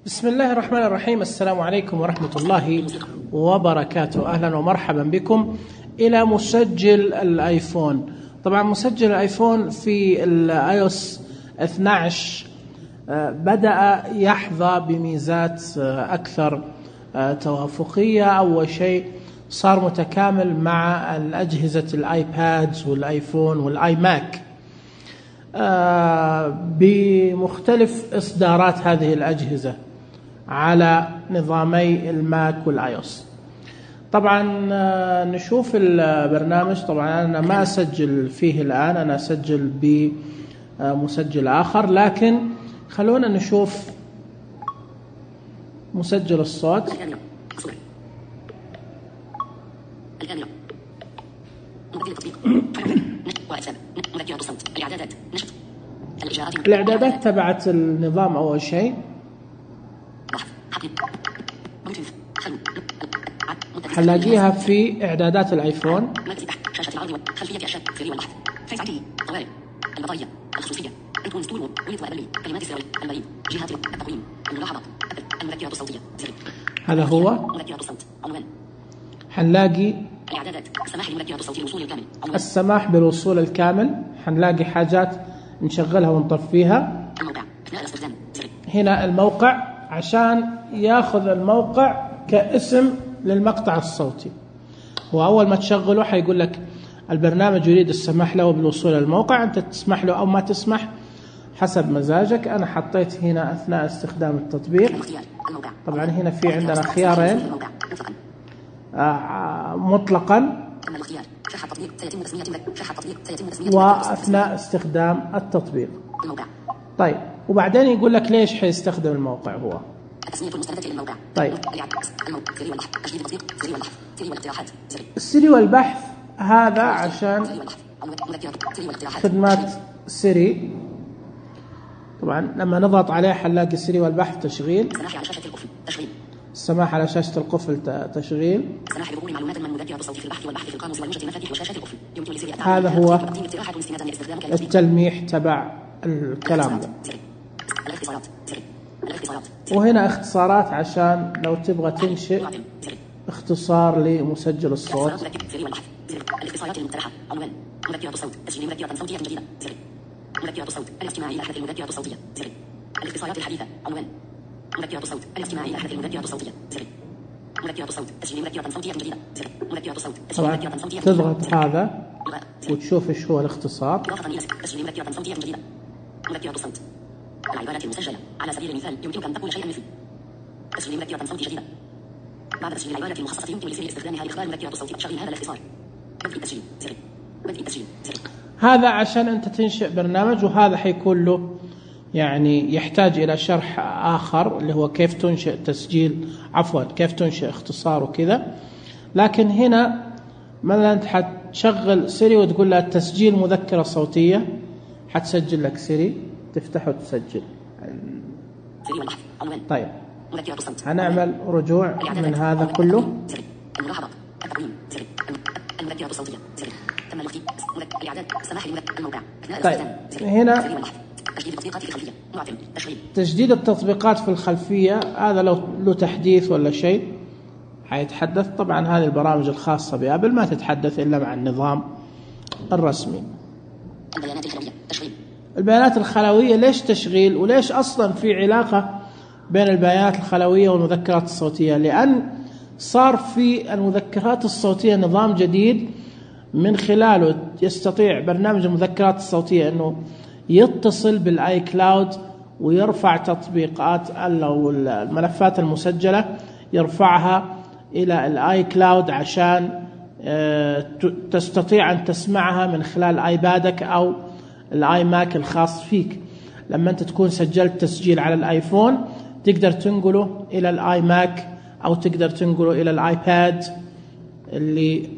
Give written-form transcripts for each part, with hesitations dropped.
بسم الله الرحمن الرحيم. السلام عليكم ورحمة الله وبركاته. أهلا ومرحبا بكم إلى مسجل الآيفون. طبعا مسجل الآيفون في الآيوس 12 بدأ يحظى بميزات أكثر توافقية. أول شيء صار متكامل مع الأجهزة الآيباد والآيفون والآي ماك بمختلف إصدارات هذه الأجهزة على نظامي الماك والآيوس. طبعا نشوف البرنامج. طبعا أنا ما أسجل فيه الآن، أنا أسجل بمسجل آخر، لكن خلونا نشوف مسجل الصوت. الإعدادات تبعت النظام أول شيء حنلاقيها في إعدادات الآيفون. هذا هو. حنلاقي السماح بالوصول الكامل، حنلاقي حاجات نشغلها ونطفيها. هنا الموقع عشان ياخذ الموقع كاسم للمقطع الصوتي، وأول ما تشغله حيقول لك البرنامج يريد السماح له بالوصول للموقع، أنت تسمح له أو ما تسمح حسب مزاجك. أنا حطيت هنا أثناء استخدام التطبيق. طبعا هنا في عندنا خيارين، مطلقا وأثناء استخدام التطبيق. طيب، وبعدين يقول لك ليش حيستخدم الموقع هو. طيب، السيري والبحث هذا عشان خدمات سيري. طبعا لما نضغط عليه حنلاقي السيري والبحث تشغيل، السماح على شاشة القفل تشغيل. هذا هو التلميح تبع الكلام ده. وهنا اختصارات عشان لو تبغى تنشئ اختصار لمسجل الصوت. الاختصارات المقترحة: عنوان مذكرة صوت، تسجيل مذكرة صوتية جديدة، مذكرة صوت، الاستماع إلى أحدث المذكرة الصوتية، الاختصارات الحديثة: عنوان مذكرة صوت، الاستماع إلى أحدث المذكرة الصوتية، مذكرة صوت، تسجيل مذكرة صوتية جديدة، مذكرة صوت، تسجيل مذكرة صوتية جديدة. تضغط هذا وتشوف ايش هو الاختصار. إضافة إلى تسجيل مذكرة صوتية جديدة، مذكرة صوت. العبارات المسجلة على سبيل المثال يمكنك أن تقول شيئا مثل تسجيل مذكرة صوت جديدة. بعد تسجيل العبارة المخصصة يمكن لسير استخدامها لاختبار مذكرة صوت. شغل هذا الاختصار. بدء التسجيل، بدء التسجيل. هذا عشان أنت تنشئ برنامج، وهذا حيكون له يعني يحتاج إلى شرح آخر اللي هو كيف تنشئ تسجيل، كيف تنشئ اختصار وكذا. لكن هنا مثلا أنت حتشغل سيري وتقول لها تسجيل مذكرة صوتية، حتسجل لك سيري، تفتحه وتسجل. طيب، هنعمل رجوع من هذا كله. طيب، هنا تجديد التطبيقات في الخلفية، هذا لو له تحديث ولا شيء حيتحدث. طبعا هذه البرامج الخاصة بآبل ما تتحدث إلا مع النظام الرسمي. البيانات الخلوية ليش تشغيل؟ وليش أصلا في علاقة بين البيانات الخلوية والمذكرات الصوتية؟ لأن صار في المذكرات الصوتية نظام جديد من خلاله يستطيع برنامج المذكرات الصوتية أنه يتصل بالآي كلاود ويرفع تطبيقات أو الملفات المسجلة، يرفعها إلى الآي كلاود عشان تستطيع أن تسمعها من خلال آيبادك أو الآي ماك الخاص فيك. لما أنت تكون سجلت تسجيل على الآيفون تقدر تنقله إلى الآي ماك أو تقدر تنقله إلى الآيباد اللي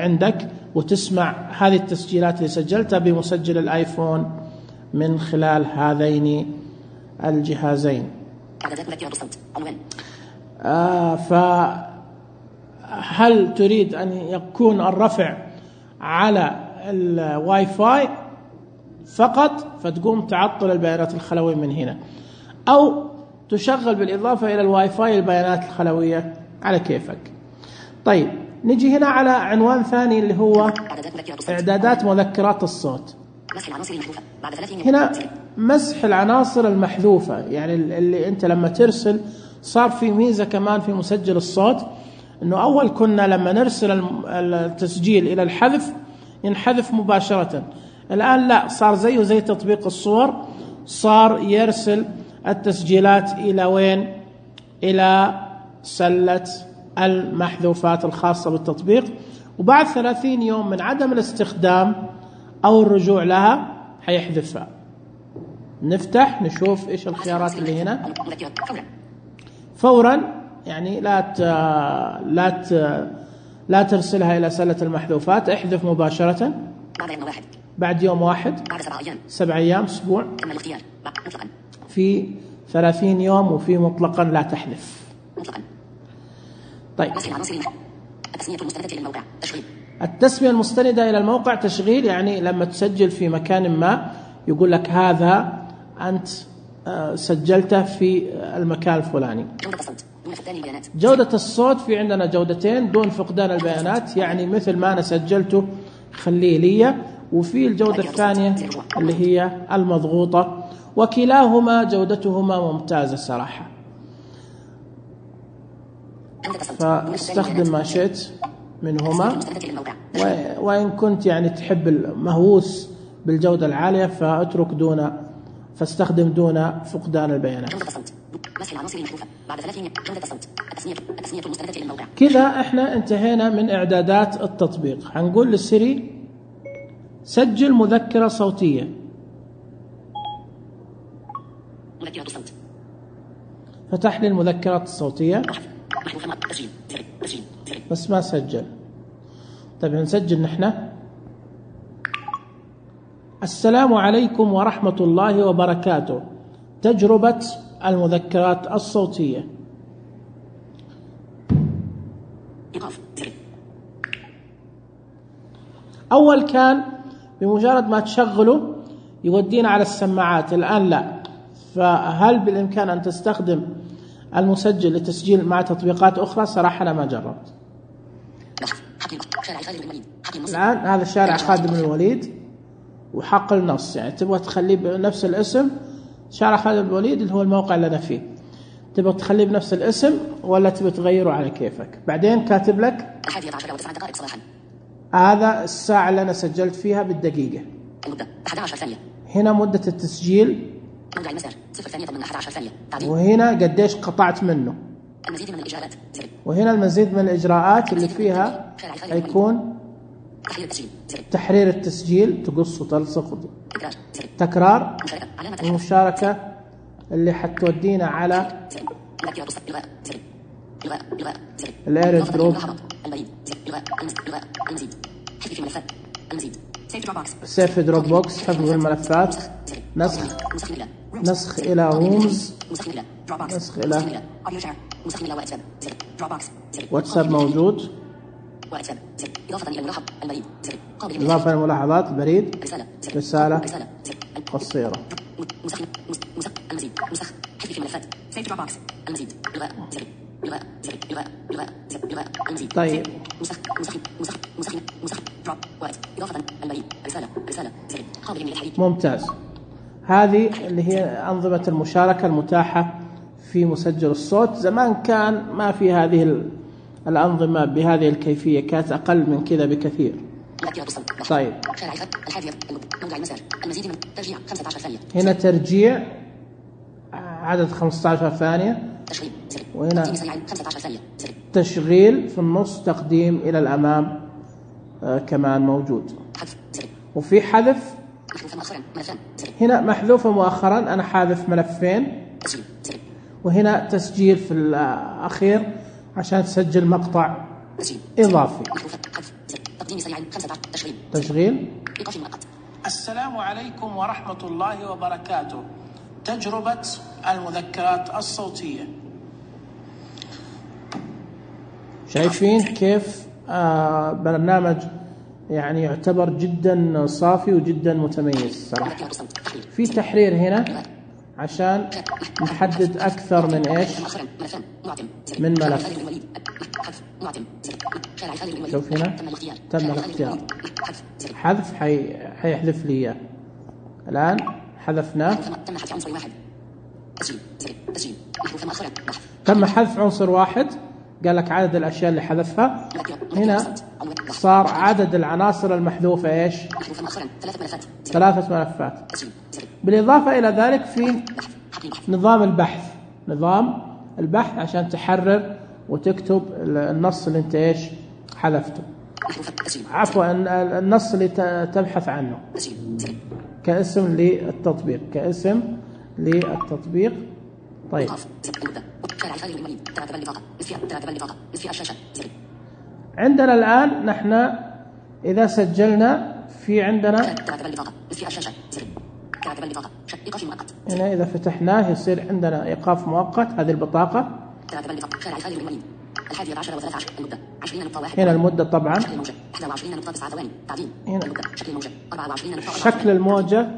عندك، وتسمع هذه التسجيلات اللي سجلتها بمسجل الآيفون من خلال هذين الجهازين. فهل تريد أن يكون الرفع على الواي فاي فقط فتقوم تعطل البيانات الخلوية من هنا، أو تشغل بالإضافة إلى الواي فاي البيانات الخلوية على كيفك. طيب نجي هنا على عنوان ثاني اللي هو إعدادات مذكرات الصوت. هنا مسح العناصر المحذوفة، يعني اللي أنت لما ترسل صار في ميزة كمان في مسجل الصوت، أنه أول كنا لما نرسل التسجيل إلى الحذف ينحذف مباشرة، الآن لا، صار زيه زي تطبيق الصور، صار يرسل التسجيلات إلى وين؟ إلى سلة المحذوفات الخاصة بالتطبيق، وبعد 30 يوم من عدم الاستخدام أو الرجوع لها حيحذفها. نفتح نشوف إيش الخيارات اللي هنا. فورا، يعني لا ترسلها إلى سلة المحذوفات، احذف مباشرة. بعد يوم واحد، 7 أيام، أسبوع، في 30 يوم، وفي مطلقا لا تحذف. طيب التسمية المستندة إلى الموقع تشغيل، يعني لما تسجل في مكان ما يقول لك هذا أنت سجلته في المكان الفلاني. جودة الصوت في عندنا جودتين دون فقدان البيانات، يعني مثل ما أنا سجلته خليه لي، وفي الجودة الثانية اللي هي المضغوطة، وكلاهما جودتهما ممتازة صراحة. فاستخدم ما شئت منهما، وإن كنت يعني تحب المهووس بالجودة العالية فاستخدم دون فقدان البيانات. كذا احنا انتهينا من إعدادات التطبيق. هنقول للسيري سجل مذكرة صوتية، فتح لي المذكرات الصوتية بس ما سجل. طيب نسجل نحن. السلام عليكم ورحمة الله وبركاته، تجربة المذكرات الصوتية. أول كان بمجرد ما تشغله يودينا على السماعات، الآن لا. فهل بالإمكان أن تستخدم المسجل لتسجيل مع تطبيقات أخرى؟ صراحة أنا ما جربت. الآن هذا شارع خالد بن الوليد وحقل نص، يعني تبغى تخليه بنفس الاسم، شارع خالد بن الوليد اللي هو الموقع اللي أنا فيه، تبغى تخليه بنفس الاسم ولا تبغى تغيره على كيفك. بعدين كاتب لك هذا الساعة اللي أنا سجلت فيها بالدقيقة، هنا مدة التسجيل، وهنا قديش قطعت منه، وهنا المزيد من الإجراءات اللي فيها يكون تحرير التسجيل، تقص وتلصق، تكرار، المشاركة اللي حتودينا على الاير دروب، سيف دروب بوكس، حفظ الملفات، نسخ إلى رومز، نسخ إلى واتساب موجود، إضافة للملاحظات، البريد، رسالة قصيرة. طيب ممتاز. هذه اللي هي أنظمة المشاركة المتاحة في مسجل الصوت. زمان كان ما في هذه الأنظمة بهذه الكيفية، كانت أقل من كذا بكثير. طيب هنا ترجيع عدد 15 ثانية، وهنا تشغيل في النص، تقديم إلى الأمام كمان موجود، وفي حذف هنا محذوفة مؤخرا، أنا حاذف ملفين، وهنا تسجيل في الأخير عشان تسجل مقطع إضافي. تشغيل. السلام عليكم ورحمة الله وبركاته، تجربة المذكرات الصوتية. شايفين كيف برنامج يعني يعتبر جدا صافي وجدا متميز صراحة. في تحرير هنا عشان نحدد أكثر من إيش؟ من ملف. شوف هنا تم الاختيار، حذف حيحذف لي إياه. الآن حذفناه، تم حذف عنصر واحد. قال لك عدد الأشياء اللي حذفها. هنا صار عدد العناصر المحذوفة إيش؟ 3 ملفات. بالإضافة إلى ذلك في نظام البحث عشان تحرر وتكتب النص اللي انت ايش حذفته، عفوا النص اللي تبحث عنه كاسم للتطبيق. طيب عندنا الآن نحن إذا سجلنا في عندنا هنا إذا فتحناه يصير عندنا إيقاف مؤقت. هذه البطاقة هنا المدة طبعا، هنا شكل الموجة،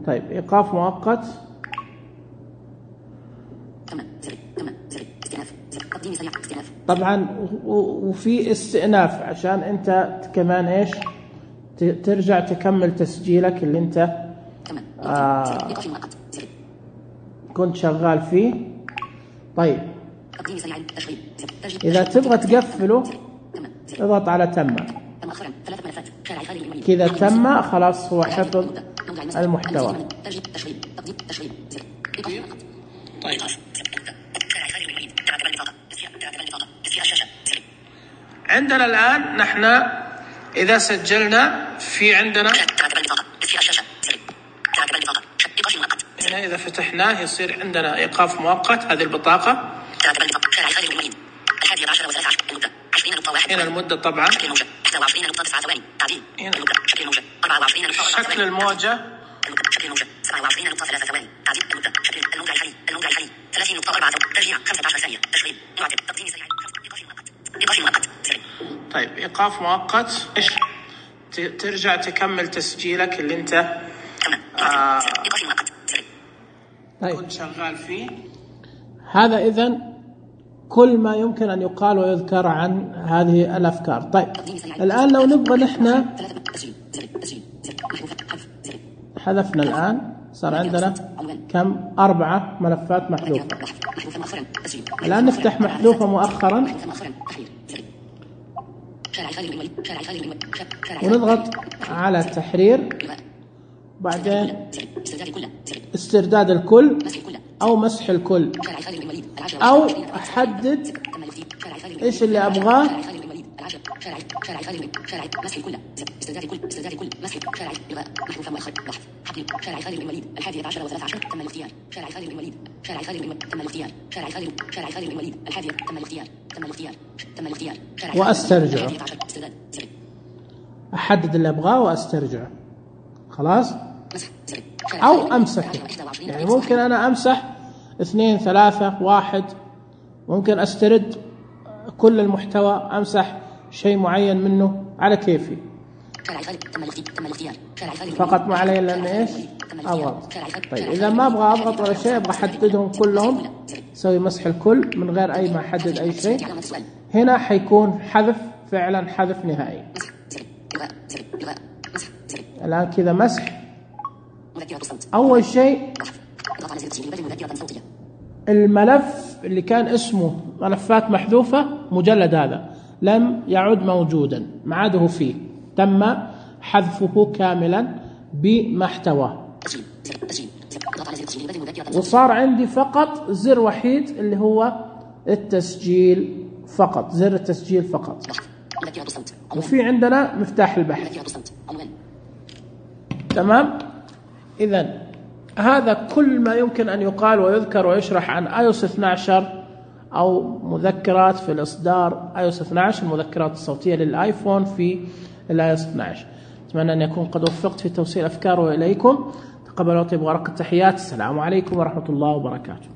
طيب إيقاف مؤقت. طبعا وفي استئناف عشان انت كمان ايش ترجع تكمل تسجيلك اللي انت كنت شغال فيه. طيب اذا تبغى تقفله اضغط على تم. كذا تم، خلاص هو حفظ المحتوى. طيب عندنا الآن نحن إذا سجلنا في عندنا هنا إذا فتحناه يصير عندنا إيقاف مؤقت. هذه البطاقة هنا المدة طبعا، هنا شكل الموجة، طيب إيقاف مؤقت. إيش ترجع تكمل تسجيلك اللي أنت كنت شغال فيه. هذا إذن كل ما يمكن أن يقال ويذكر عن هذه الأفكار. طيب الآن لو نبغى نحن حذفنا، الآن صار عندنا كم؟ 4 ملفات محذوفة. الآن نفتح محذوفة مؤخرا ونضغط على تحرير، بعدين استرداد الكل أو مسح الكل، أو أحدد إيش اللي أبغاه. وأسترجعه، أحدد اللي أبغاه وأسترجعه، خلاص. أو أمسحه، يعني ممكن أنا أمسح 2 3 1، ممكن أسترد كل المحتوى، أمسح شيء معين منه على كيفي، فقط ما علي إلا أن إيش أضغط. طيب إذا ما أبغى أضغط ولا شيء، أبغى أحددهم كلهم، أسوي مسح الكل من غير أي ما أحدد أي شيء. هنا حيكون حذف، فعلا حذف نهائي. الآن كذا مسح. أول شيء الملف اللي كان اسمه ملفات محذوفة، مجلد هذا لم يعد موجودا، ما عاده فيه، تم حذفه كاملا بمحتواه، وصار عندي فقط زر وحيد اللي هو التسجيل فقط، زر التسجيل فقط، وفي عندنا مفتاح البحث. تمام. إذن هذا كل ما يمكن أن يقال ويذكر ويشرح عن iOS 12 أو مذكرات في الإصدار iOS 12، المذكرات الصوتية للآيفون في iOS 12. أتمنى أن يكون قد وفقت في توصيل أفكاره إليكم. تقبلوا طيب ورقة التحيات. السلام عليكم ورحمة الله وبركاته.